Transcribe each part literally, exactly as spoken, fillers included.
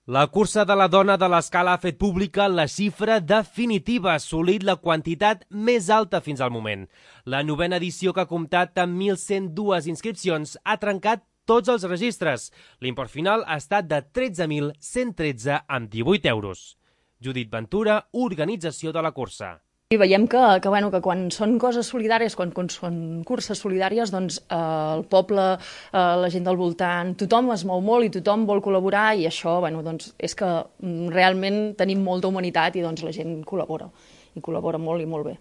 La cursa de la dona de l'Escala ha fet pública la xifra definitiva, assolit la quantitat més alta fins al moment. La novena edició, que ha comptat amb mil cent dues inscripcions, ha trencat tots els registres. L'import final ha estat de tretze mil cent tretze amb divuit euros. Judit Ventura, organització de la cursa. I veiem que, que, bueno, que quan són coses solidàries, quan, quan són curses solidàries, doncs eh, el poble, eh, la gent del voltant, tothom es mou molt i tothom vol col·laborar, i això, bueno, doncs, és que mm, realment tenim molta humanitat i doncs la gent col·labora, i col·labora molt i molt bé.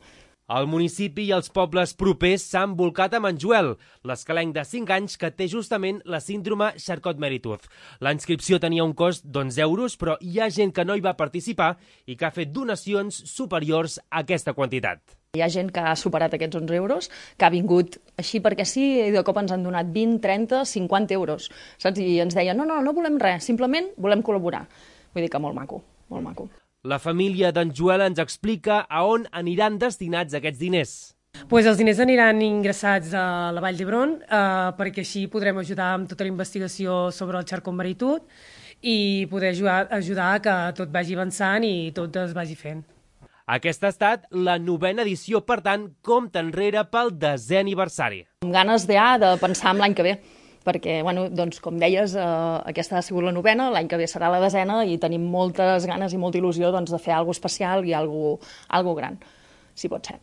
El municipi i els pobles propers s'han volcat amb en Joel, l'escalenc de cinc anys que té justament la síndrome Charcot-Marie-Tooth. La inscripció tenia un cost d'onze euros, però hi ha gent que no hi va participar i que ha fet donacions superiors a aquesta quantitat. Hi ha gent que ha superat aquests onze euros, que ha vingut així perquè sí, i de cop ens han donat vint, trenta, cinquanta euros, saps? I ens deien, no, no, no volem res, simplement volem col·laborar. Vull dir que molt maco, molt maco. La família d'en Joel ens explica a on aniran destinats aquests diners. Pues els diners aniran ingressats a la Vall d'Hebron eh, perquè així podrem ajudar amb tota la investigació sobre el Charcot-Marie-Tooth i poder ajudar, ajudar que tot vagi avançant i tot es vagi fent. Aquesta ha estat la novena edició, per tant, compta enrere pel desè aniversari. Amb ganes ja de pensar en l'any que ve, perquè, bueno, doncs, com deies, eh, aquesta ha sigut la novena, l'any que ve serà la desena i tenim moltes ganes i molta il·lusió doncs, de fer alguna especial i alguna cosa gran, si pot ser.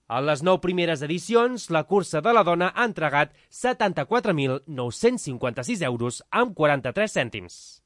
A les nou primeres edicions, la cursa de la dona ha entregat setanta-quatre mil nou-cents cinquanta-sis euros amb quaranta-tres cèntims.